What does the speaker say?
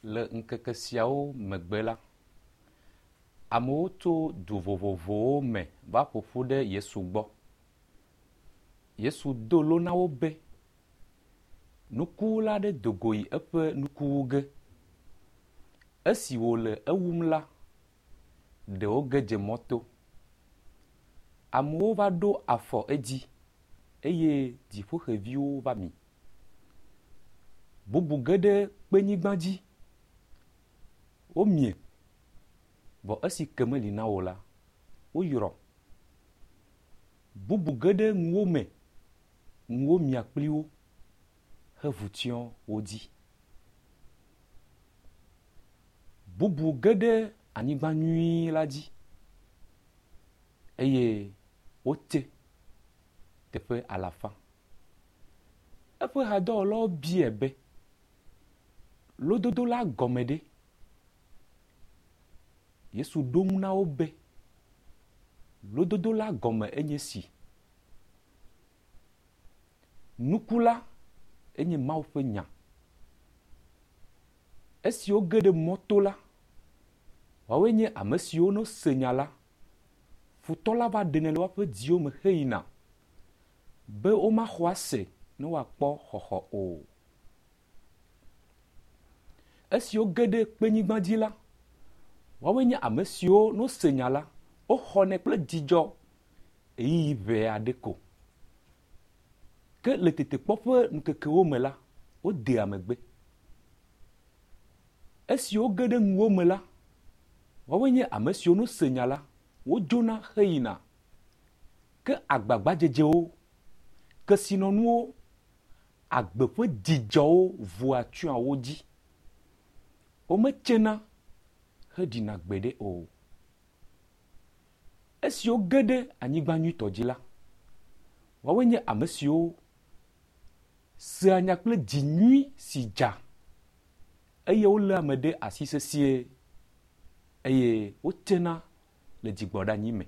Le ŋkeke siawo megbe la, amewo tso du vovovowo me va ƒoƒu ɖe Yesu gbɔ. Yesu do lo na wo be, Nukuwula aɖe do go yi eƒe nuku wu ge. Esi wòle ewum la, ɖewo ge dze mɔto. Amewo va ɖo afɔ edzi eye dziƒoxeviwo va mi. Bubu ge ɖe kpenyigba dzi, womie, vɔ esi ke meli na wo o la, woyrɔ. Bubu ge ɖe ŋuwo me, ŋuwo mia kpli wo hevu tsyɔ wo dzi. Bubu ge ɖe anyigba nyui la dzi eye wotse teƒe alafa. Eƒe hadɔwɔlawo biae be, Lododo la gɔme ɖe? Yesu ɖo ŋu na wo be, Lododo la gɔme enye si. Nuku la enye Mawu ƒe nya. Esiwo ge ɖe mɔto la, woawoe nye ame siwo ne wose nya la, futɔ la va ɖenɛ le woaƒe dziwo me heyina be womaxɔ ase ne woakpɔ xɔxɔ o. Esiwo ge ɖe kpenyigba dzi la, woawoe nye ame siwo ne wose nya la, woxɔnɛ kple dzidzɔ ɣeyiɣi ʋɛ aɖe ko. Ke le tetekpɔ ƒe ŋkekewo me la, wodea megbe. Esiwo ge ɖe ŋuwo me la, woawoe nye ame siwo ne wose nya la, wodzona heyina. Ke agbagbadzedzewo, kesinɔnuwo, agbe ƒe dzidzɔwo vua tsyɔa wo dzi. Wometsena heɖina gbeɖe o. Esiwo ge ɖe anyigba nyuitɔ dzi la, woawoe nye ame siwo sea nya kple dzi nyui si dza eye woléa ame ɖe asi sesĩe eye wotsena le dzigbɔɖeanyi me.